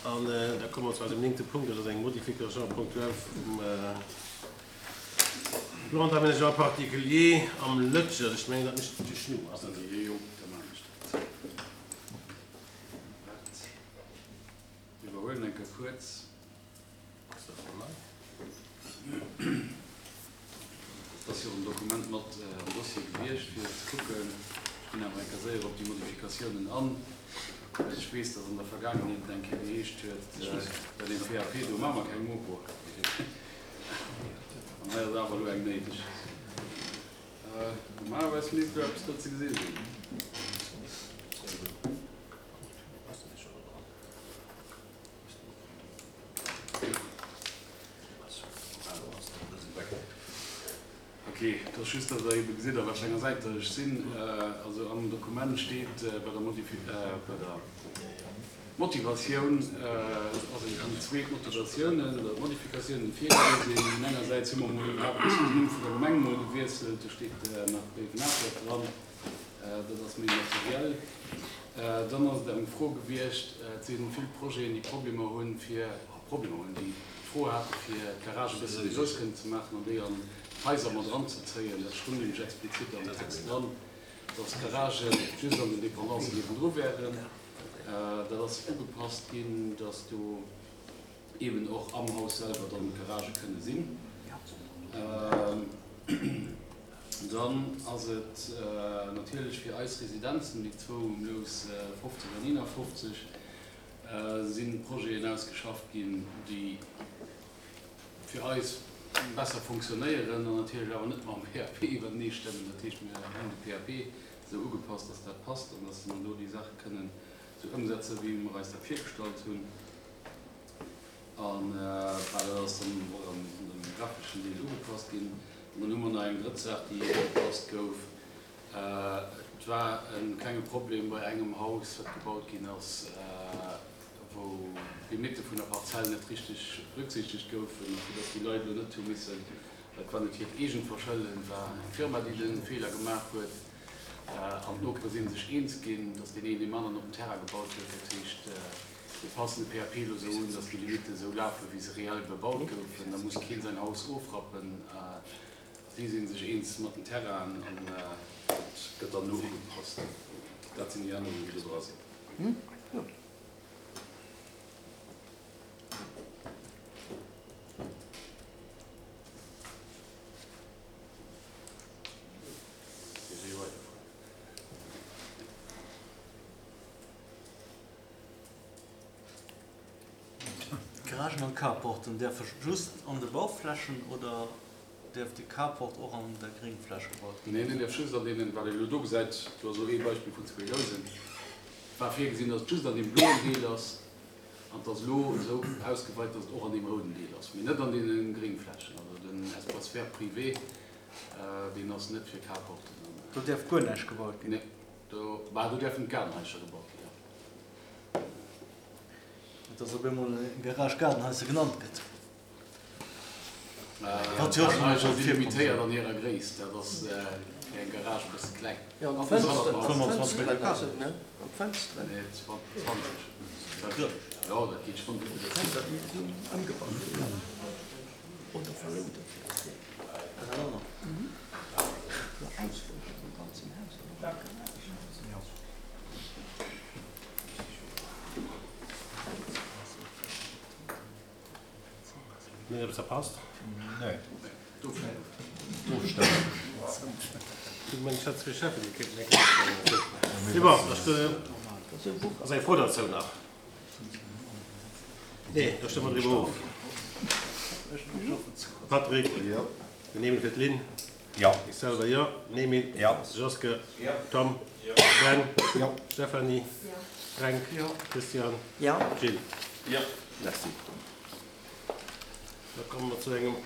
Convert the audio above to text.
An da komme mer zu eisem néngte Punkt, dat ass eng Modification ponctuelle vum Plan d'aménagement particulier am Lëtschert. Ech mengen, dat mécht de Schnu, ass dat esou? Jo, da maachen ech dat. Dat iwwerhuelen eng Kéier kuerz. Ass dat schonn nei? Et ass jo en Dokument mat am Dossier gewiescht, fir ze kucken. Ech ginn awer eng Kéier séier op déi Modifikatiounen an, well ech weess, dass an der Vergaangenheet et eng Kéier geheescht huet, bei deem PAP do maache mer keng Mopo. An hei ass awer elo eng néideg. Normalerweis misst elo eppes do ze gesi sinn. Ok, et ass just, datt Der ebe gesitt, a wat fir enger Säit datt ech sinn. Also am Dokument steet bei der Modifi-, bei der Motivatioun, ass et ëm zwee Motivatiounen oder Modifikatiounen virgesinn. Engersäits hu mer emol iwwerhaapt den Numm vun der Gemeng emol gewiesselt, do steet nach Béiwen-Atert dran. Dat ass méi materiell. Dann ass et eng Fro gewiescht, et si vill Projeten, déi Problemer hunn, fir, Problemer hunn, déi d'Fro hate fir d'Garage e bësse méi grouss kënnen ze maachen an déi an d'Haiser mat eranzezéien. Dat stoung nämlech explizit am Text dran, dass d'Garagë just an den Dependancen niewendru wären. Dat ass ugepasst ginn, dass do eeben och am Haus selwer dann d'Garagë kënne sinn. Dann ass et natierlech fir eis Residenzen, déi zwou um Lous 50 an 51, si Projeten ausgeschafft ginn, déi fir eis besser fonctionnéieren an natierlech awer net mam PAP iwwertenee stëmmen. Dat heescht, mir hunn de PAP esou ugepasst, dass dat passt an dass mer do déi Saache kënnen esou ëmsetzen, wéi mer eis dat virgestallt hunn. An bah, dat ass dann och an dem grafeschen Deel ugepasst ginn. An dann hu mer nach eng drëtt Saach, déi ugepasst gouf. Et war e klenge Problem bei engem Haus, wat gebaut ginn ass, wou d'Limitte vun der Parzell net richteg berücksichtegt goufen. A fir dass déi Leit elo net hu missen, dat war net hiert eegent Verschëlden, et war eng Firma, déi de Feeler gemaach huet, an d'Nopere si sech eens ginn, dass deen een deem aneren op den Terrain gebaut huet. Dat heescht, Mir passen de PAP elo esou un, dass déi Limitte esou lafen, wéi se reell bebaut goufen. Da muss keen säin Haus ofrappen. Si si sech eens mat den Terrainen an et gëtt dann elo ugepasst. Dat sinn déi Ännerungen, déi do dra sinn. D'Garagen an d'Carporten däerfe just an de Bauflächen oder däerf de Carport och an der Gréngfläch gebaut ginn? Neen, en däerf just an deenen, wat een elo do gesäit, do ass elo ee Beispill vun zwee Lousen, et war virgesinn, datt et just an deem bloen Deel ass an et ass elo esou ausgeweit, datt et och an deem rouden Deel ass, mee net an deene Gréngflächen. Also den Espace vert privé, deen ass net fir Carporten. Do däerf guer näischt gebaut ginn? Nee. Do, bah, do däerfen d'Gaardenhaischer gebaut ginn, jo. Net dass op eemol eng Garage Gaardenhaisser genannt gëtt. Wat jo och schonn Gaardenhaischer si limitéiert an hirer Gréisst, dat ass fir eng Garage e bësse kleng. Jo, an d'Fënsteren, 25 Meter carré, ne? An d'Fënsteren. Nee, 20. Jo, dat geet schonn. Fënster, déi sinn ëmgebaut ginn oder verlount. Mir eppes verpasst? Nee. Ass eng Fro derzou nach? Nee, da stëmme mer driwwer of. Patrick? Jo. Den Emil fir d'Lynn? Jo. Ech selwer jo. Den Emil? Jo. Joske? Jo. Tom? Jo. Ben? Jo. Stéphanie? Jo. Fränk? Jo. Christian? Jo. Gilles? Jo. Merci. Da komme mer zu engem.